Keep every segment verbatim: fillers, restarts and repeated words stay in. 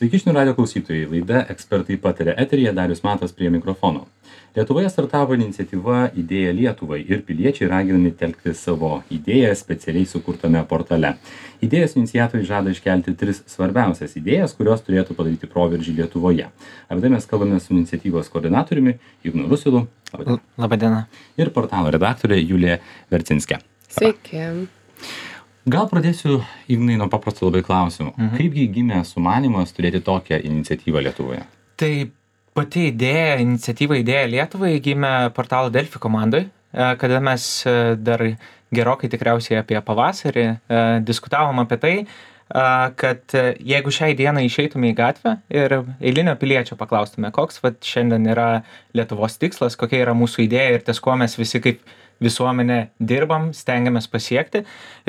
Sveiki žinių radijo klausytojai, laida Ekspertai pataria eteryje, Darius Matas prie mikrofono. Lietuvoje startavo iniciatyva Idėja Lietuvai ir piliečiai raginami telkti savo idėją specialiai sukurtame portale. Idėjos iniciatoriai žada iškelti tris svarbiausias idėjas, kurios turėtų padaryti proveržį Lietuvoje. Apie tai mes kalbame su iniciatyvos koordinatoriumi Ignu Rusilu. Labadiena. Labadiena. Ir portalo redaktorė Julija Vercinskė. Sveiki. Gal pradėsiu, Ignai, nuo paprasto labai klausimų. Mhm. Kaipgi gimė sumanymas turėti tokią iniciatyvą Lietuvoje? Tai pati idėja, iniciatyva Idėja Lietuvai gimė portalo Delfi komandai, kada mes dar gerokai tikriausiai apie pavasarį diskutavom apie tai, kad jeigu šiai dienai išeitume į gatvę ir eilinio piliečio paklaustume, koks vat šiandien yra Lietuvos tikslas, kokia yra mūsų idėja ir ties kuo mes visi kaip visuomenė dirbam, stengiamės pasiekti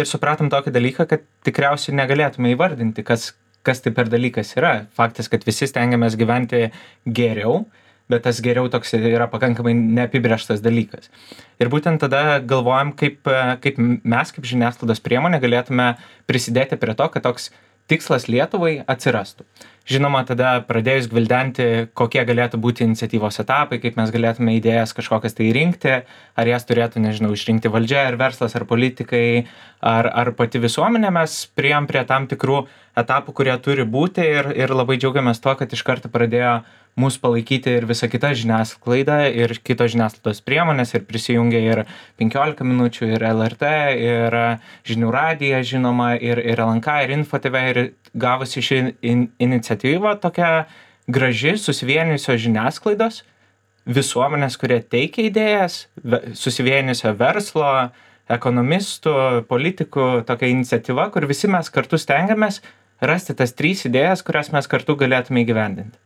ir supratom tokį dalyką, kad tikriausiai negalėtume įvardinti, kas, kas tai per dalykas yra. Faktas, kad visi stengiamės gyventi geriau, bet tas geriau toks yra pakankamai neapibrėžtas dalykas. Ir būtent tada galvojam, kaip, kaip mes kaip žiniasklaidos priemonė galėtume prisidėti prie to, kad toks tikslas Lietuvai atsirastų. Žinoma, tada pradėjus gvildenti, kokie galėtų būti iniciatyvos etapai, kaip mes galėtume idėjas kažkokias tai rinkti, ar jas turėtų, nežinau, išrinkti valdžia, ar verslas, ar politikai, ar, ar pati visuomenė, mes priėjom prie tam tikrų etapų, kurie turi būti ir, ir labai džiaugiamės to, kad iš karto pradėjo mūsų palaikyti ir visa kita žiniasklaida ir kitos žiniasklaidos priemonės ir prisijungė ir penkiolika minučių, ir L R T, ir Žinių radija, žinoma, ir, ir L N K, ir Info T V, ir gavosi ši in, iniciatyva tokia graži, susivienijusios žiniasklaidos, visuomenės, kurie teikia idėjas, susivienijusio verslo, ekonomistų, politikų, tokia iniciatyva, kur visi mes kartu stengiamės rasti tas trys idėjas, kurias mes kartu galėtume įgyvendinti.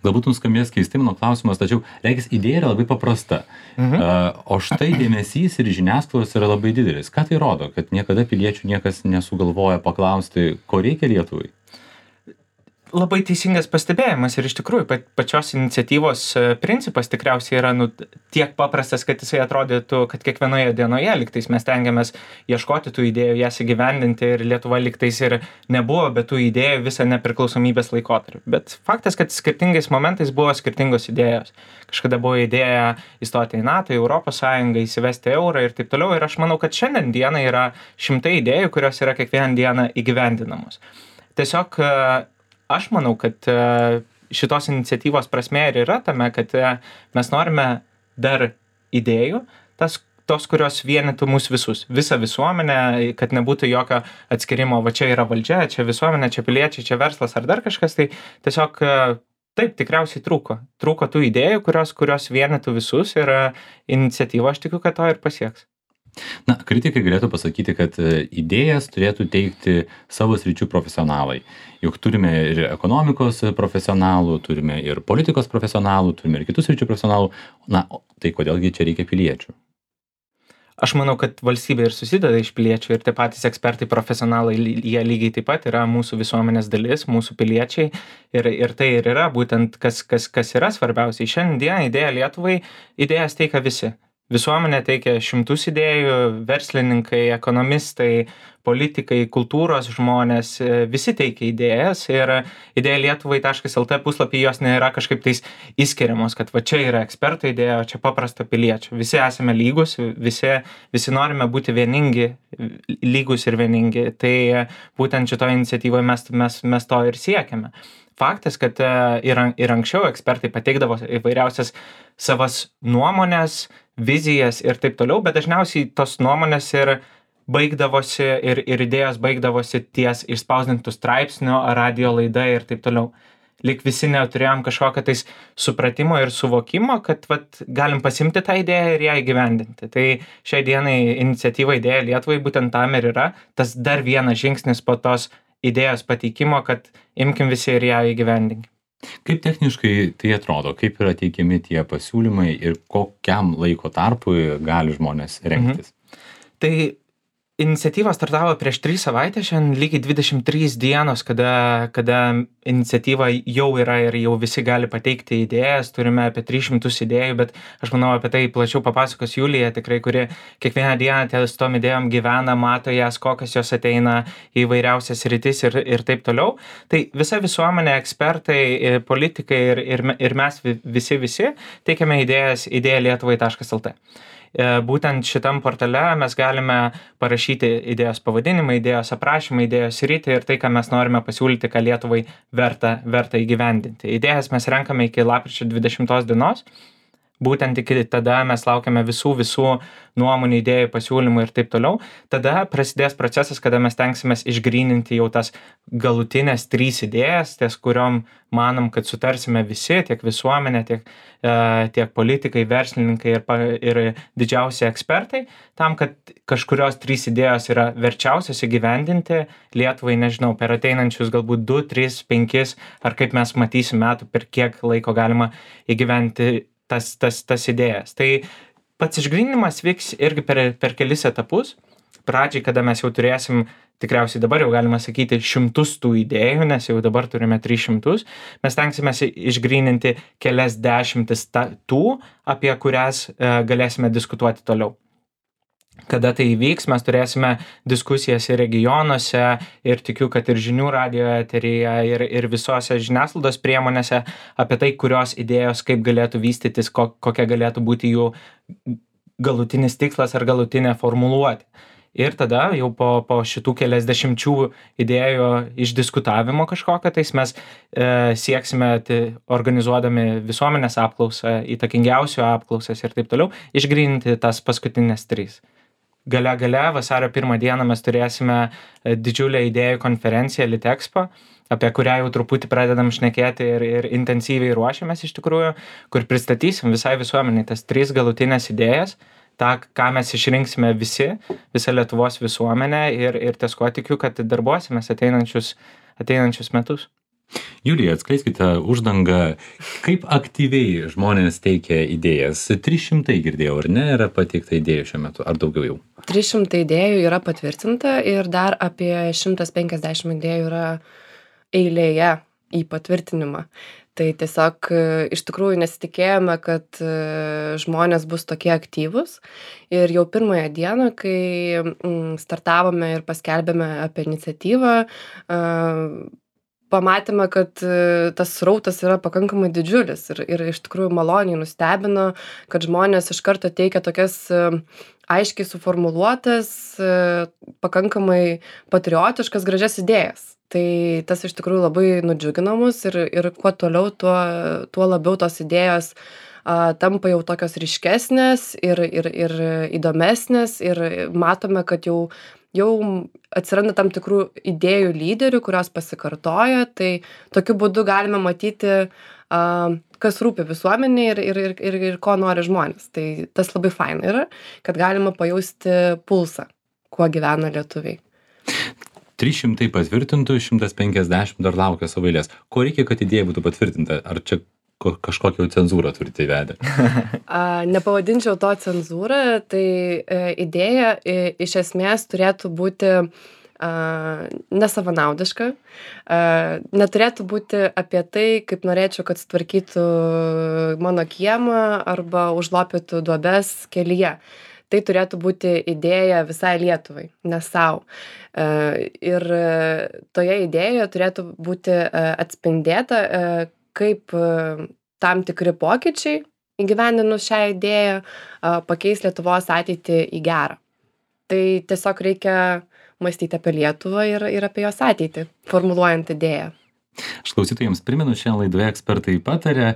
Galbūt nuskambės keistai mano klausimas, tačiau reikės idėja yra labai paprasta. Mhm. Uh, o štai dėmesys ir žiniasklaidos yra labai didelis. Ką tai rodo? Kad niekada piliečių niekas nesugalvoja paklausti, ko reikia Lietuvai? Labai teisingas pastebėjimas ir iš tikrųjų pačios iniciatyvos principas tikriausiai yra nu, tiek paprastas, kad jisai atrodytų, kad kiekvienoje dienoje lygtais mes tengiamės ieškoti tų idėjų, jas įgyvendinti ir Lietuva lygtais ir nebuvo, bet tų idėjų visą nepriklausomybės laikotarpį. Bet faktas, kad skirtingais momentais buvo skirtingos idėjos. Kažkada buvo idėja įstoti į NATO, į Europos Sąjungą, įsivesti eurą ir taip toliau. Ir aš manau, kad šiandien dieną yra šimtai idėjų, kurios yra kiekvieną dieną įgyvendinamos. Tiesiog aš manau, kad šitos iniciatyvos prasmė ir yra tame, kad mes norime dar idėjų, tas, tos, kurios vienytų mus visus, visą visuomenę, kad nebūtų jokio atskirimo, va čia yra valdžia, čia visuomenė, čia piliečiai, čia verslas ar dar kažkas, tai tiesiog taip tikriausiai trūko. Trūko tų idėjų, kurios, kurios vienytų visus ir iniciatyva, aš tikiu, kad to ir pasieks. Na, kritikai galėtų pasakyti, kad idėjas turėtų teikti savo sričių profesionalai. Juk turime ir ekonomikos profesionalų, turime ir politikos profesionalų, turime ir kitus sričių profesionalų. Na, tai kodėlgi čia reikia piliečių? Aš manau, kad valstybė ir susideda iš piliečių ir tie patys ekspertai profesionalai, jie lygiai taip pat yra mūsų visuomenės dalis, mūsų piliečiai ir, ir tai ir yra būtent kas, kas, kas yra svarbiausiai. Šiandien idėja Lietuvai, idėjas teikia visi. Visuomenė teikia šimtus idėjų, verslininkai, ekonomistai, politikai, kultūros žmonės, visi teikia idėjas ir idėja Lietuvai taškas L T puslapį jos nėra kažkaip tais įskiriamos, kad va čia yra eksperto idėja, o čia paprasto piliečio. Visi esame lygus, visi, visi norime būti vieningi, lygus ir vieningi. Tai būtent šitoje iniciatyvoje mes, mes, mes to ir siekiame. Faktas, kad ir, ir anksčiau ekspertai pateikdavo įvairiausias savas nuomonės, vizijas ir taip toliau, bet dažniausiai tos nuomonės ir baigdavosi ir, ir idėjos baigdavosi ties išspausdintų straipsnių, radio laida ir taip toliau. Lyg visi neturėjom kažkokio tais supratimo ir suvokimo, kad vat, galim pasimti tą idėją ir ją įgyvendinti. Tai šiai dienai iniciatyva Idėja Lietuvai būtent tam ir yra, tas dar vienas žingsnis po tos idėjos pateikimo, kad imkim visi ir ją įgyvendinkim. Kaip techniškai tai atrodo, kaip yra teikiami tie pasiūlymai ir kokiam laiko tarpui gali žmonės rengtis? Mhm. Tai iniciatyva startavo prieš tris savaites, šiandien lygiai dvidešimt trys dienos, kada, kada iniciatyva jau yra ir jau visi gali pateikti idėjas, turime apie tris šimtus idėjų, bet aš manau apie tai plačiau papasakos Julija, tikrai, kuri kiekvieną dieną ties tom idėjom gyvena, mato jas, kokios jos ateina į įvairiausias rytis ir, ir taip toliau. Tai visa visuomenė, ekspertai, politikai ir, ir, ir mes visi visi teikiame idėjas idėja lietuvai taškas el tė. Būtent šitam portale mes galime parašyti idėjos pavadinimą, idėjos aprašymą, idėjos rytį ir tai, ką mes norime pasiūlyti, ką Lietuvai verta, verta įgyvendinti. Idėjas mes renkame iki lapkričio dvidešimtos dienos. Būtent iki tada mes laukiame visų, visų nuomonių, idėjų, pasiūlymų ir taip toliau. Tada prasidės procesas, kada mes tenksimės išgryninti jau tas galutinės trys idėjas, ties kuriom manom, kad sutarsime visi, tiek visuomenė, tiek, e, tiek politikai, verslininkai ir, ir didžiausi ekspertai, tam, kad kažkurios trys idėjos yra verčiausios įgyvendinti Lietuvai, nežinau, per ateinančius galbūt du, tris, penkis, ar kaip mes matysim metų, per kiek laiko galima įgyventi tas, tas, tas idėjas. Tai pats išgryninimas vyks irgi per, per kelis etapus. Pradžiai, kada mes jau turėsim, tikriausiai dabar jau galima sakyti, šimtus tų idėjų, nes jau dabar turime tris šimtus, mes tenksimės išgryninti kelias dešimtis ta, tų, apie kurias e, galėsime diskutuoti toliau. Kada tai įvyks, mes turėsime diskusijas ir regionuose ir tikiu, kad ir žinių radijo eteryje ir, ir visose žiniasklaidos priemonėse apie tai, kurios idėjos kaip galėtų vystytis, ko, kokia galėtų būti jų galutinis tikslas ar galutinė formuluotė. Ir tada jau po, po šitų keliasdešimčių idėjų išdiskutavimo kažkokio, tais mes e, sieksime tai, organizuodami visuomenės apklausą, įtakingiausių apklausas ir taip toliau, išgryninti tas paskutinės trys. Gale gale vasario pirmą dieną mes turėsime didžiulę idėjų konferenciją Litexpo, apie kurią jau truputį pradedam šnekėti ir, ir intensyviai ruošiamės iš tikrųjų, kur pristatysim visai visuomeniai tas trys galutinės idėjas, tą, ką mes išrinksime visi, visą Lietuvos visuomenę ir, ir ties kuo tikiu, kad darbuosimės ateinančius, ateinančius metus. Julija, atskleiskite uždangą, kaip aktyviai žmonės teikia idėjas. trys šimtai girdėjau, ar ne, yra pateikta idėjų šiuo metu, ar daugiau jau? trys šimtai idėjų yra patvirtinta ir dar apie šimtas penkiasdešimt idėjų yra eilėje į patvirtinimą. Tai tiesiog iš tikrųjų nesitikėjome, kad žmonės bus tokie aktyvūs. Ir jau pirmąją dieną, kai startavome ir paskelbėme apie iniciatyvą, pamatėme, kad tas srautas yra pakankamai didžiulis ir, ir iš tikrųjų maloniai nustebino, kad žmonės iš karto teikia tokias aiškiai suformuluotas, pakankamai patriotiškas, gražias idėjas. Tai tas iš tikrųjų labai nudžiugino mus ir, ir kuo toliau, tuo, tuo labiau tos idėjos a, tampa jau tokios ryškesnės ir, ir, ir įdomesnės ir matome, kad jau jau atsiranda tam tikrų idėjų lyderių, kurios pasikartoja, tai tokiu būdu galime matyti, a, kas rūpi visuomeniai ir, ir, ir, ir ko nori žmonės. Tai tas labai faina yra, kad galima pajausti pulsą, kuo gyvena lietuviai. trys šimtai patvirtintų, šimtas penkiasdešimt dar laukia savo eilės. Ko reikia, kad idėja būtų patvirtinta? Ar čia kažkokią cenzūrą turite įvedę? Nepavadinčiau to cenzūrą, tai e, idėja e, iš esmės turėtų būti e, nesavanaudiška, e, neturėtų būti apie tai, kaip norėčiau, kad sutvarkytų mano kiemą arba užlopytų duobes kelyje. Tai turėtų būti idėja visai Lietuvai, ne savo. Ir toje idėjoje turėtų būti atspindėta, kaip tam tikri pokyčiai įgyvendinus šią idėją pakeis Lietuvos ateitį į gerą. Tai tiesiog reikia mąstyti apie Lietuvą ir, ir apie jos ateitį, formuluojant idėją. Aš klausytojams primenu, šiandien laidoje ekspertai patarė,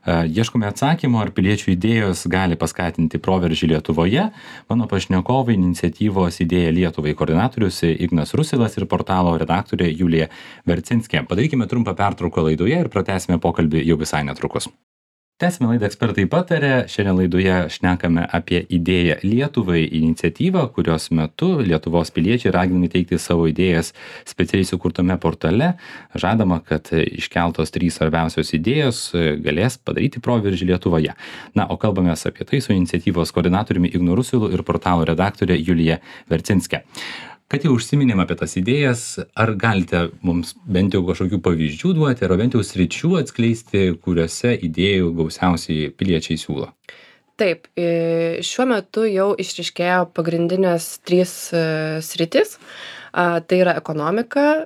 ieškome atsakymo, ar piliečių idėjos gali paskatinti proveržį Lietuvoje. Mano pašnekovai iniciatyvos Idėja Lietuvai koordinatorius Ignas Rusilas ir portalo redaktorė Julija Vercinskė. Padarykime trumpą pertrauką laidoje ir pratęsime pokalbį jau visai netrukus. Tęsime laidą Ekspertai pataria. Šiandien laidoje šnekame apie idėją Lietuvai iniciatyvą, kurios metu Lietuvos piliečiai raginami teikti savo idėjas specialiai sukurtame portale. Žadama, kad iškeltos trys svarbiausios idėjos galės padaryti proveržį Lietuvoje. Na, o kalbamės apie tai su iniciatyvos koordinatoriumi Ignu Rusilu ir portalo redaktorė Julija Vercinske. Kad jau užsiminėm apie tas idėjas, ar galite mums bent jau kažkokių pavyzdžių duoti, ar bent jau sričių atskleisti, kuriuose idėjų gausiausiai piliečiai siūlo? Taip, šiuo metu jau išryškėjo pagrindinės trys sritis. Tai yra ekonomika,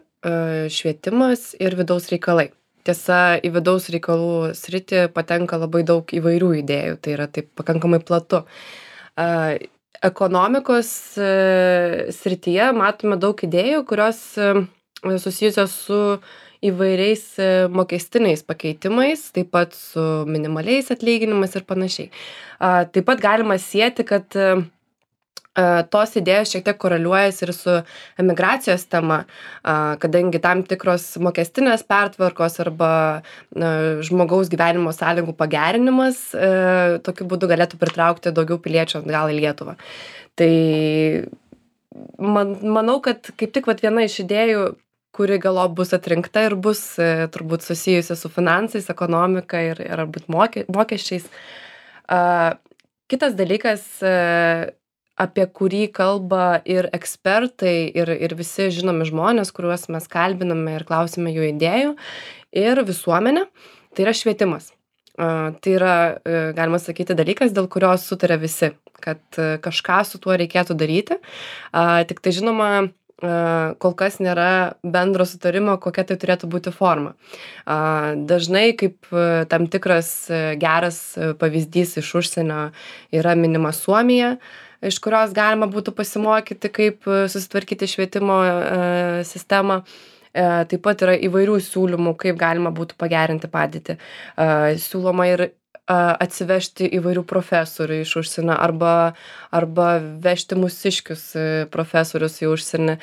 švietimas ir vidaus reikalai. Tiesa, į vidaus reikalų sritį patenka labai daug įvairių idėjų, tai yra taip pakankamai platu. Ekonomikos srityje matome daug idėjų, kurios susijusios su įvairiais mokestiniais pakeitimais, taip pat su minimaliais atlyginimais ir panašiai. Taip pat galima sieti, kad tos idėjos šiek tiek koreliuojasi ir su emigracijos tema, kadangi tam tikros mokestinės pertvarkos arba žmogaus gyvenimo sąlygų pagerinimas tokiu būdu galėtų pritraukti daugiau piliečių atgal į Lietuvą. Tai man, manau, kad kaip tik vat viena iš idėjų, kuri galop bus atrinkta ir bus turbūt susijusi su finansais, ekonomika ir, ir būt mokė, mokesčiais. Kitas dalykas, apie kurį kalba ir ekspertai, ir, ir visi žinomi žmonės, kuriuos mes kalbiname ir klausime jų idėjų, ir visuomenė, tai yra švietimas. Tai yra, galima sakyti, dalykas, dėl kurio sutarė visi, kad kažką su tuo reikėtų daryti. Tik tai žinoma, kol kas nėra bendro sutarimo, kokia tai turėtų būti forma. Dažnai kaip tam tikras geras pavyzdys iš užsienio yra minima Suomija, iš kurios galima būtų pasimokyti, kaip susitvarkyti švietimo sistemą. Taip pat yra įvairių siūlymų, kaip galima būtų pagerinti padėtį. Siūloma ir atsivežti įvairių profesorių iš užsienio arba, arba vežti mūsiškius profesorius į užsienį.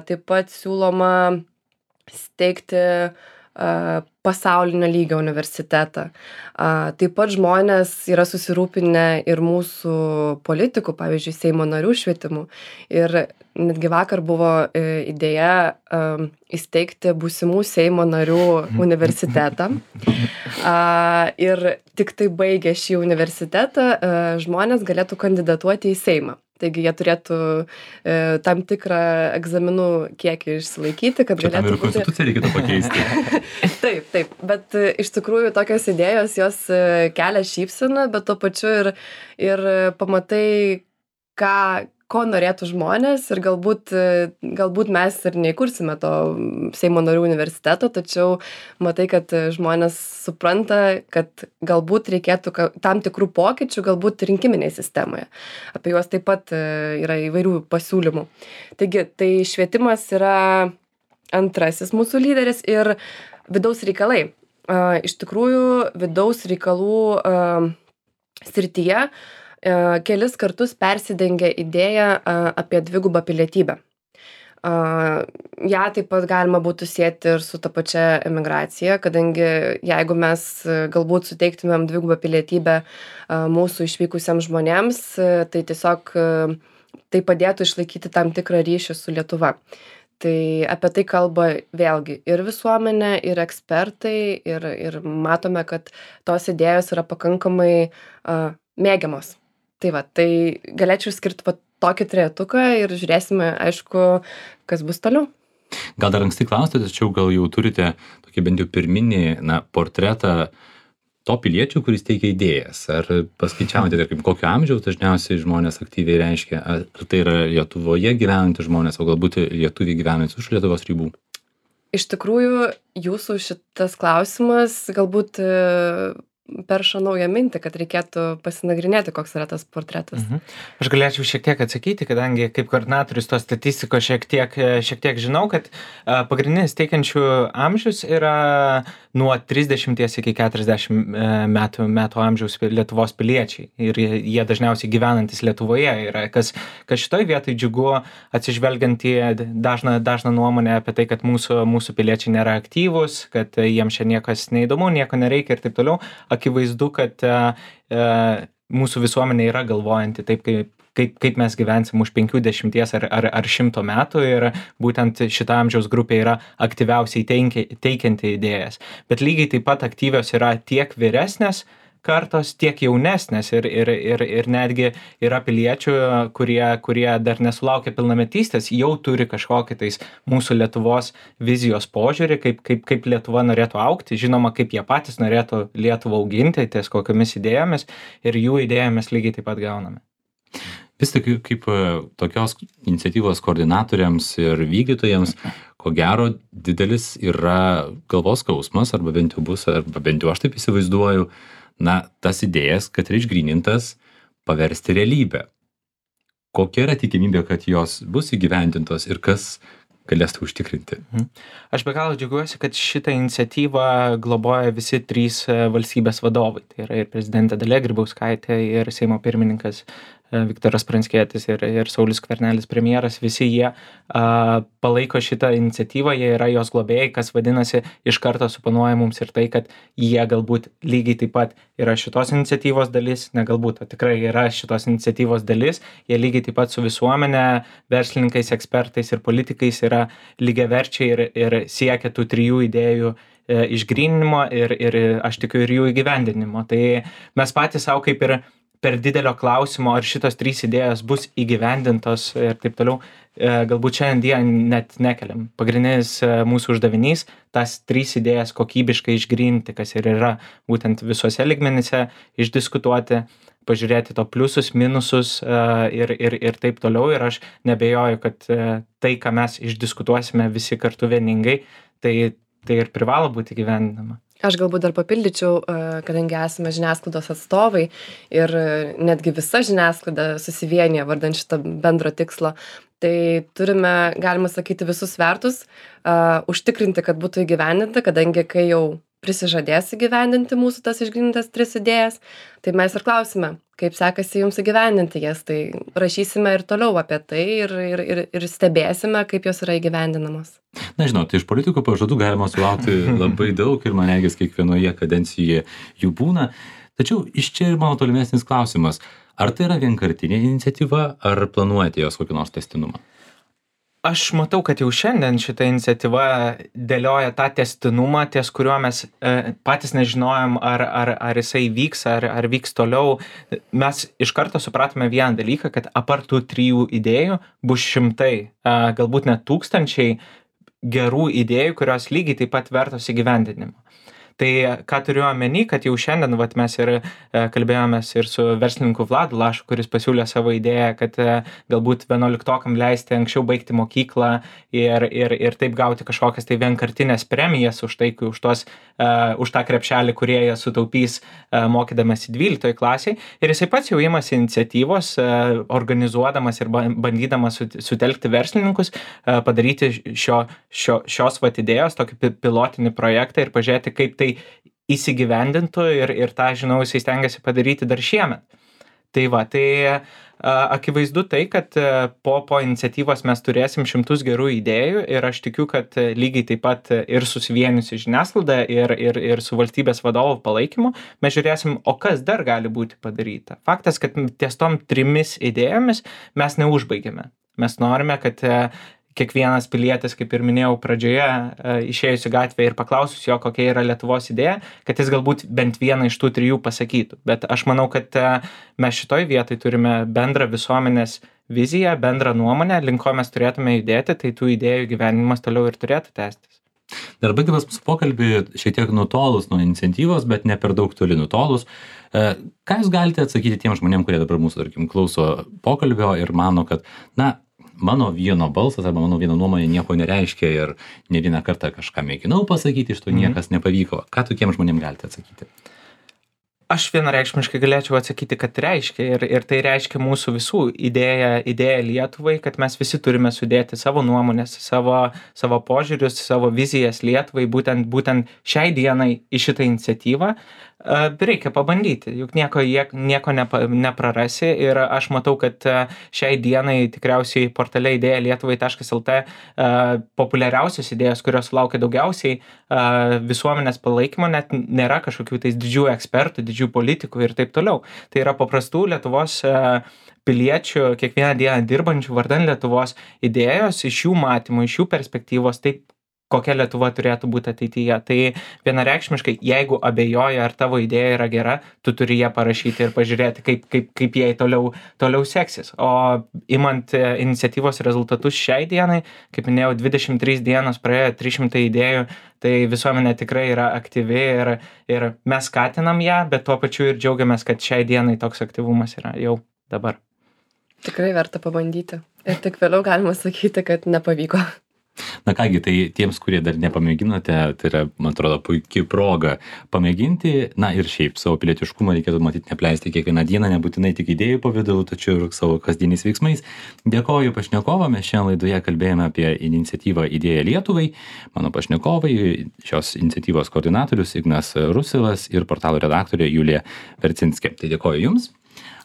Taip pat siūloma steigti pasaulinio lygio universitetą. Taip pat žmonės yra susirūpinę ir mūsų politikų, pavyzdžiui, Seimo narių švietimu. Ir netgi vakar buvo idėja įsteigti būsimų Seimo narių universitetą. Ir tik tai baigę šį universitetą žmonės galėtų kandidatuoti į Seimą. Taigi jie turėtų e, tam tikrą egzaminų kiekį išsilaikyti, kad čia galėtų būti... Čia tam ir konstituciją reikėtų pakeisti. Taip, taip, bet e, iš tikrųjų tokios idėjos jos e, kelia šypseną, bet tuo pačiu ir, ir pamatai, ką, ko norėtų žmonės ir galbūt, e, galbūt mes ir neįkursime to Seimo narių universiteto, tačiau matai, kad žmonės supranta, kad galbūt reikėtų tam tikrų pokyčių, galbūt rinkiminėje sistemoje. Apie juos taip pat yra įvairių pasiūlymų. Taigi, tai švietimas yra antrasis mūsų lyderis ir vidaus reikalai. Iš tikrųjų, vidaus reikalų srityje kelis kartus persidengia idėja apie dvigubą pilietybę. Ja taip pat galima būtų sieti ir su ta pačia emigracija, kadangi jeigu mes galbūt suteiktumėm dvigubą pilietybę mūsų išvykusiems žmonėms, tai tiesiog tai padėtų išlaikyti tam tikrą ryšį su Lietuva. Tai apie tai kalba vėlgi ir visuomenė, ir ekspertai, ir, ir matome, kad tos idėjos yra pakankamai uh, mėgiamos. Tai va, tai galėčiau skirti va, tokį trejetuką ir žiūrėsime, aišku, kas bus toliau. Gal dar anksti klausti, tačiau gal jau turite tokį bent jau pirminį na, portretą to piliečio, kuris teikia idėjas. Ar paskaičiavote, tarkim, kokio amžiaus dažniausiai žmonės aktyviai reiškia? Ar tai yra Lietuvoje gyvenantys žmonės, o galbūt lietuviai gyvenantys už Lietuvos ribų? Iš tikrųjų, jūsų šitas klausimas galbūt perša naują mintį, kad reikėtų pasinagrinėti, koks yra tas portretas. Mhm. Aš galėčiau šiek tiek atsakyti, kadangi kaip koordinatorius tos statistikos šiek tiek, šiek tiek žinau, kad pagrindinis teikiančių amžius yra nuo trisdešimties iki keturiasdešimt metų, metų amžiaus Lietuvos piliečiai. Ir jie dažniausiai gyvenantis Lietuvoje yra. Kas, kas šitoj vietoj džiugu, atsižvelgiant į dažną, dažną nuomonę apie tai, kad mūsų, mūsų piliečiai nėra aktyvūs, kad jiems čia niekas neįdomu, nieko nereikia ir taip toliau. akivaizdu, kad e, e, mūsų visuomenė yra galvojanti taip, kaip Kaip, kaip mes gyvensim už penkių, dešimties ar, ar, ar šimto metų ir būtent šita amžiaus grupė yra aktyviausiai teikia, teikianti idėjas. Bet lygiai taip pat aktyvios yra tiek vyresnės kartos, tiek jaunesnės ir, ir, ir, ir netgi yra piliečių, kurie, kurie dar nesulaukia pilnametystės, jau turi kažkokį tais mūsų Lietuvos vizijos požiūrį, kaip, kaip, kaip Lietuva norėtų augti, žinoma, kaip jie patys norėtų Lietuvą auginti, ties kokiamis idėjomis ir jų idėjomis lygiai taip pat gauname. Vis tik kaip tokios iniciatyvos koordinatoriams ir vykdytojams, ko gero didelis yra galvos skausmas, arba bent jau bus, arba bent jau aš taip įsivaizduoju, na, tas idėjas, kad yra išgrynintas, paversti realybę. Kokia yra tikimybė, kad jos bus įgyvendintos ir kas galės tai užtikrinti? Aš be galo džiaugiuosi, kad šitą iniciatyvą globoja visi trys valstybės vadovai. Tai yra ir prezidentė Dalia Grybauskaitė, ir Seimo pirmininkas Viktoras Pranckietis ir, ir Saulius Skvernelis premjeras, visi jie a, palaiko šitą iniciatyvą, jie yra jos globėjai, kas vadinasi, iš karto suponuoja mums ir tai, kad jie galbūt lygiai taip pat yra šitos iniciatyvos dalis, ne galbūt, o tikrai yra šitos iniciatyvos dalis, jie lygiai taip pat su visuomenė, verslininkais, ekspertais ir politikais yra lygiaverčiai ir, ir siekia tų trijų idėjų e, išgryninimo ir, ir aš tikiu ir jų įgyvendinimo. Tai mes patys savo kaip ir per didelio klausimo, ar šitos trys idėjos bus įgyvendintos ir taip toliau, galbūt šiandien net nekeliam. Pagrindinis mūsų uždavinys tas trys idėjas kokybiškai išgryninti, kas ir yra būtent visuose lygmenyse, išdiskutuoti, pažiūrėti to pliusus, minusus ir, ir, ir taip toliau. Ir aš nebejoju, kad tai, ką mes išdiskutuosime visi kartu vieningai, tai, tai ir privalo būti įgyvendinama. Aš galbūt dar papildyčiau, kadangi esame žiniasklaidos atstovai ir netgi visa žiniasklaida susivienyje vardan šito bendro tikslo, tai turime, galima sakyti, visus svertus uh, užtikrinti, kad būtų įgyvendinta, kadangi kai jau prisižadės įgyvendinti mūsų tas išgrynintas tris idėjas, tai mes ir klausime, kaip sekasi jums įgyvendinti jas, tai rašysime ir toliau apie tai ir, ir, ir, ir stebėsime, kaip jos yra įgyvendinamos. Na, žinot, iš politikų pažadų galima sulaukti labai daug ir man regis kiekvienoje kadencijoje jų būna. Tačiau iš čia ir mano tolimesnis klausimas, ar tai yra vienkartinė iniciatyva, ar planuojate jos kokį nors testinumą? Aš matau, kad jau šiandien šita iniciatyva dėlioja tą testinumą, ties kuriuo mes e, patys nežinojom, ar, ar, ar jisai vyks, ar, ar vyks toliau. Mes iš karto supratome vieną dalyką, kad apart tų trijų idėjų bus šimtai, e, galbūt net tūkstančiai gerų idėjų, kurios lygiai taip pat vertos įgyvendinimo. Tai ką turiu omeny, kad jau šiandien vat, mes ir e, kalbėjomės ir su verslininku Vladu Lašu, kuris pasiūlė savo idėją, kad e, galbūt vienuoliktokam leisti anksčiau baigti mokyklą ir, ir, ir taip gauti kažkokias tai vienkartinės premijas už tai, už, tos, e, už tą krepšelį, kurie jie sutaupys e, mokydamas į dvyliktoj klasiai. Ir jisai pats jau imasi iniciatyvos, e, organizuodamas ir bandydamas sutelkti verslininkus, e, padaryti šio, šio, šios vat idėjos, tokį pilotinį projektą ir pažiūrėti, kaip tai įsigyvendintų ir, ir tą, žinau, jisai stengiasi padaryti dar šiemet. Tai va, tai a, akivaizdu tai, kad a, po, po iniciatyvos mes turėsim šimtus gerų idėjų ir aš tikiu, kad a, lygiai taip pat ir susivieniusi žiniasklaida ir, ir, ir su valstybės vadovų palaikymu mes žiūrėsim, o kas dar gali būti padaryta. Faktas, kad ties tom trimis idėjomis mes neužbaigėme. Mes norime, kad a, kiekvienas pilietis, kaip ir minėjau pradžioje, išėjus į gatvę ir paklausus jo, kokia yra Lietuvos idėja, kad jis galbūt bent vieną iš tų trijų pasakytų. Bet aš manau, kad mes šitoj vietoj turime bendrą visuomenės viziją, bendrą nuomonę, link ko mes turėtume judėti, tai tų idėjų gyvenimas toliau ir turėtų tęstis. Dar baigdamas mūsų pokalbį, šiek tiek nutolus nuo iniciatyvos, bet ne per daug toli nutolus, ką jūs galite atsakyti tiem žmonėm, kurie dabar mūsų, tarkim, klauso pokalbio ir mano, kad, na, mano vieno balsas arba mano vieno nuomonė nieko nereiškia ir ne vieną kartą kažką mėginau pasakyti, iš to niekas nepavyko. Ką tokiem žmonėm galite atsakyti? Aš vienareikšmiškai galėčiau atsakyti, kad reiškia ir, ir tai reiškia mūsų visų idėja, idėja Lietuvai, kad mes visi turime sudėti savo nuomonės, savo, savo požiūrius, savo vizijas Lietuvai, būtent, būtent šiai dienai į šitą iniciatyvą. A, reikia pabandyti, juk nieko, jie, nieko nepa, neprarasi ir aš matau, kad a, šiai dienai tikriausiai portale idėja lietuvai taškas lt a, populiariausios idėjos, kurios sulaukia daugiausiai a, visuomenės palaikymo, net nėra kažkokių tais didžių ekspertų, didžių politikų ir taip toliau. Tai yra paprastų Lietuvos a, piliečių, kiekvieną dieną dirbančių vardan Lietuvos idėjos, iš jų matymų, iš jų perspektyvos, taip kokia Lietuva turėtų būti ateityje. Tai vienareikšmiškai, jeigu abejoja, ar tavo idėja yra gera, tu turi ją parašyti ir pažiūrėti, kaip, kaip, kaip jai toliau, toliau seksis. O imant iniciatyvos rezultatus šiai dienai, kaip minėjau, dvidešimt trys dienos praėjo, trys šimtai idėjų, tai visuomenė tikrai yra aktyvi ir, ir mes skatinam ją, bet tuo pačiu ir džiaugiamės, kad šiai dienai toks aktyvumas yra jau dabar. Tikrai verta pabandyti. Ir tik vėliau galima sakyti, kad nepavyko. Na kągi, tai tiems, kurie dar nepamėginote, tai yra, man atrodo, puikia proga pamėginti. Na ir šiaip savo pilietiškumą reikėtų matyti nepleisti kiekvieną dieną, nebūtinai tik idėjų pavidalu, tačiau ir savo kasdieniais veiksmais. Dėkoju pašnekovą, mes šiandien laidoje kalbėjome apie iniciatyvą Idėja Lietuvai. Mano pašnekovai, šios iniciatyvos koordinatorius Ignas Rusilas ir portalo redaktorė Julija Vercinskė. Tai dėkoju Jums.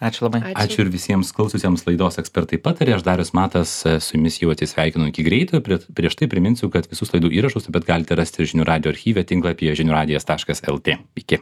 Ačiū labai. Ačiū. Ačiū ir visiems klaususiems laidos Ekspertai patarė. Aš Darius Matas su jumis jau atsisveikinu iki greito. Prie, prieš tai priminsiu, kad visus laidų įrašus taip pat galite rasti žinių radijo archyve tinklapyje žinių radijas taškas lt. Iki.